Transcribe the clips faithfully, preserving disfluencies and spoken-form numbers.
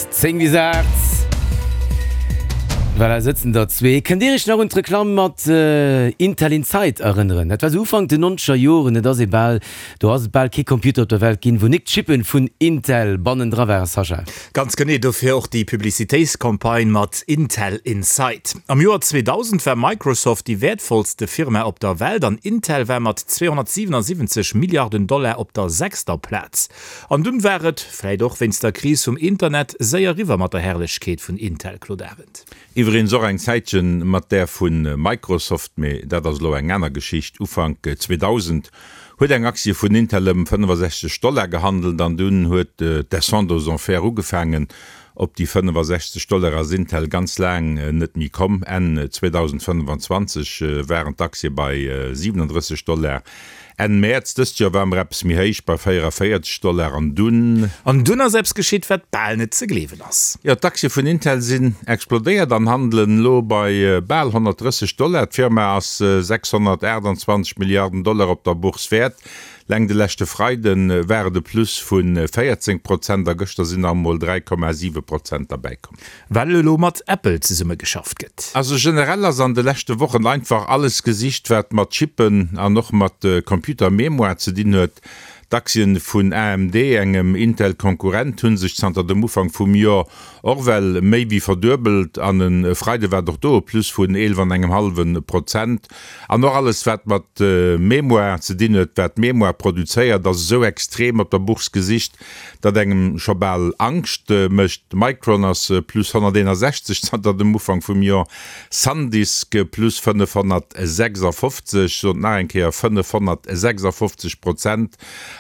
Zéng bis aacht. Voilà, sëtzen der zwee. Kënnt Dir Iech nach un d'Reklamm mat Intel Inside erënneren? Dat war sou Ufank den nonzeger Joren. Et ass ee bal, do ass et bal kee Computer op der Welt ginn, wou nik d'Chippen vun Intel bannendra waren, Sascha. Ganz genee, dofir och déi Publicitéitscampagne mat Intel Inside. Am Joer zweedausend war Microsoft déi wäertvollste Firma op der Welt an Intel war mat zweehonnertsiwenasiwwenzeg Milliarden Dollar op der sechster Plaz. An dunn war et, vläit och wéinst der Kris vum Internet, séier eriwwer mat der Herrlechkeet vun Intel, Claude Arend. Iwweregens och eng Zäitchen mat där vu Microsoft, mee dat ass elo eng aner Geschicht. Ufank zweedausend huet eng Aktie vun Intel ëm fënnefasechzeg Dollar gehandelt an dunn huet d'Descente aux enfers ugefaangen. Op déi fënnefasechzeg Dollar ass Intel ganz laang net méi komm. Enn zweedausendfënnefanzwanzeg waren d'Aktie bei siwenendrësseg Dollar. Enn Mäerz dëst Joer ware mer eppes méi héich, bei véierundavéierzeg Dollar. An dunn. An dunn ass eppes geschitt, wat bal net ze gleewen ass. Jo, d'Aktie vun Intel sinn explodéiert an handelen elo bei bal honnertdrësseg Dollar. D'Firma ass sechshonnertaachtanzwanzeg Milliarden Dollar op der Bourse wäert. Leng de leschte Freide war et e Plus vu véierzéng Prozent a gëschter sinn nach emol dräi Komma siwe Prozent derbäikomm. Well elo mat Apple zesummegeschafft gëtt. Also generell ass an de leschte Wochen einfach alles gesicht, wat mat Chippen an och mat Computer-Mémoire ze dinn huet. D'Aktien vun A M D, engem Intel-Konkurrent, hu sech zanter dem Ufank vum Joer och well méi wéi verduebelt an e Freide war et och do e Plus vun eelef an engem hallwe Prozent. An och alles wat mat Mémoire ze dinn huet, wat Mémoire produzéiert, ass esou extrem op der Bourse gesicht, datt engem scho bal Angscht mécht. Micron ass plus honnerteenasechzeg zanter dem Ufank vum Joer, Sandisk plus fënnefhonnertsechsafofzeg, sot nach eng Kéier fënnefhonnertsechsafofzeg Prozent.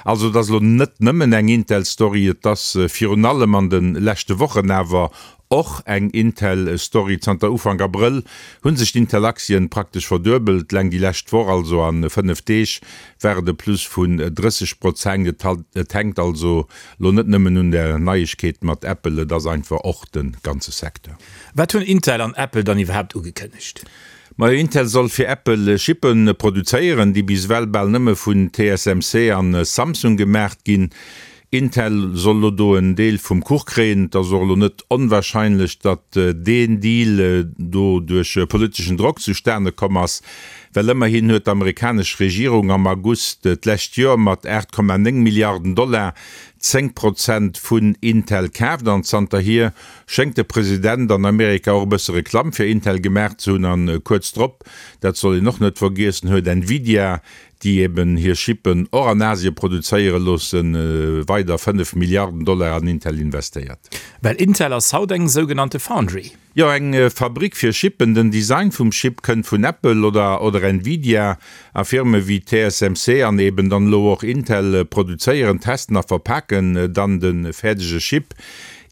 Also et ass elo net nëmmen eng Intel-Story, et ass virun allem an de leschte Wochen awer och eng Intel-Story. Zanter Ufank Abrëll hu sech d'Intel-Aktien praktesch verduebelt. Leng déi lescht Woch, also a fënnef Deeg, war et e Plus vun drësseg Prozent. Et hänkt also lo net nëmmen un der Neiegkeet mat Apple, et ass einfach och de ganze Secteur. Wat hunn Intel an Apple dann iwwerhaapt ugekënnegt? Majo, Intel soll fir Apple Chippe produzéieren, déi bis ewell bal nëmme vun T S M C an Samsung gemaacht ginn. Intel soll elo do en Deel vum Kuch kréien. Et ass och elo net onwahrscheinlech, datt deen Deal do duerch politeschen Drock zustane komm ass, well ëmmerhin huet d'amerikanesch Regierung am August d'lescht Joer mat aacht Komma néng Milliarden Dollar zéng Prozent vun Intel kaaft an zanterhier schéngt de President an Amerika och e bësse Reklamm fir Intel gemaach ze hunn. An kuerz drop, dat soll een och net vergiessen, huet Nvidia, déi eben hir Chippen och an Asie produzéiere loossen, weider fënnef Milliarden Dollar an Intel investéiert. Well Intel ass haut eng sougenannte Foundry. Jo, eng Fabrick fir Chippen. Den Design vum Chip kënnt vun Apple oder oder Nvidia a Firme wéi T S M C an eben dann elo och Intel produzéieren, testen a verpaken dann de fäerdege Chip.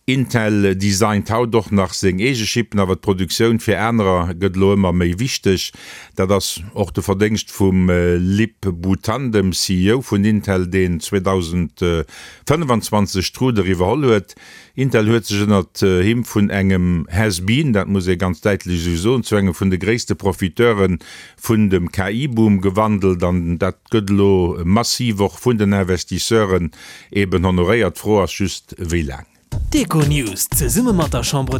Intel designt haut och nach seng eege Chippen, awer d'Produktioun fir anerer gëtt elo ëmmer méi wichteg. Dat ass och de Verdéngscht vum Lip-Bu Tan, dem C E O vun Intel, deen zweedausendfënnefanzwanzeg d'Rudder iwwerholl huet. Intel huet sech ënnert him vun engem Has-Been, dat muss ee ganz däitlech esou soen, zu engem vun de gréisste Profiteure vun dem K I-Boom gewandelt an dat gëtt elo massiv och vun den Investisseuren eben honoréiert. D'Fro ass just, wéi laang. D'Econews zesumme mat der Chambre.